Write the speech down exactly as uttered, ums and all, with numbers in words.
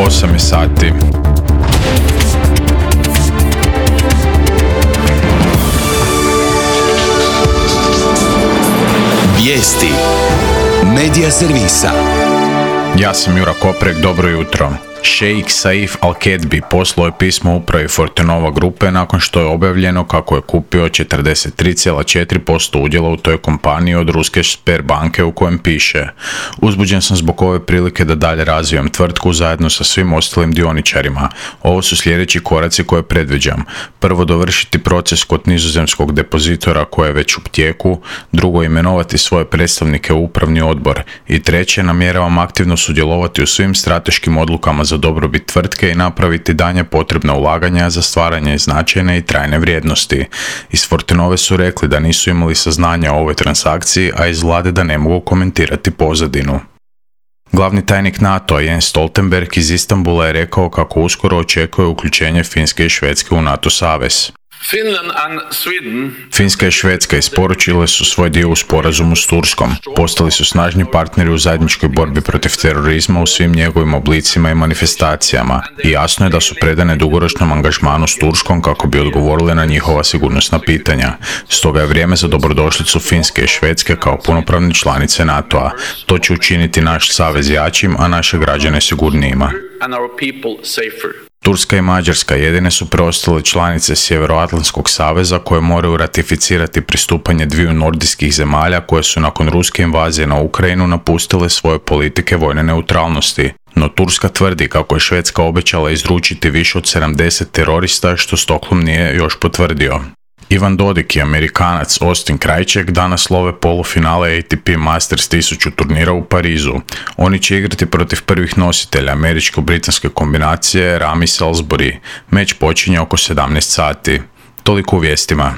osam je sati. Vijesti Medija servisa. Ja sam Jura Koprek, dobro jutro. Šejk Saif Al-Kedbi poslao je pismo upravi Fortenova grupe nakon što je objavljeno kako je kupio četrdeset tri zarez četiri posto udjela u toj kompaniji od ruske Sberbanke, u kojem piše: uzbuđen sam zbog ove prilike da dalje razvijam tvrtku zajedno sa svim ostalim dioničarima. Ovo su sljedeći koraci koje predviđam. Prvo, dovršiti proces kod nizozemskog depozitora koji je već u tijeku. Drugo, imenovati svoje predstavnike u upravni odbor. I treće, namjeravam aktivno sudjelovati u svim strateškim odlukama za dobrobit tvrtke i napraviti danje potrebna ulaganja za stvaranje značajne i trajne vrijednosti. Iz Fortenove su rekli da nisu imali saznanja o ovoj transakciji, a iz vlade da ne mogu komentirati pozadinu. Glavni tajnik NATO-a Jens Stoltenberg iz Istanbula je rekao kako uskoro očekuje uključenje Finske i Švedske u NATO savez. Finska i Švedska isporučile su svoj dio u sporazumu s Turskom. Postali su snažni partneri u zajedničkoj borbi protiv terorizma u svim njegovim oblicima i manifestacijama. I jasno je da su predane dugoročnom angažmanu s Turskom kako bi odgovorile na njihova sigurnosna pitanja. Stoga je vrijeme za dobrodošlicu Finske i Švedske kao punopravne članice NATO-a. To će učiniti naš savez jačim, a naše građane sigurnijima. Turska i Mađarska jedine su preostale članice Sjevernoatlantskog saveza koje moraju ratificirati pristupanje dviju nordijskih zemalja koje su nakon ruske invazije na Ukrajinu napustile svoje politike vojne neutralnosti. No Turska tvrdi kako je Švedska obećala izručiti više od sedamdeset terorista, što Stockholm nije još potvrdio. Ivan Dodig i Amerikanac Austin Krajček danas love polufinale A T P Masters tisuću turnira u Parizu. Oni će igrati protiv prvih nositelja američko-britanske kombinacije Rami Salisbury. Meč počinje oko sedamnaest sati. Toliko u vijestima.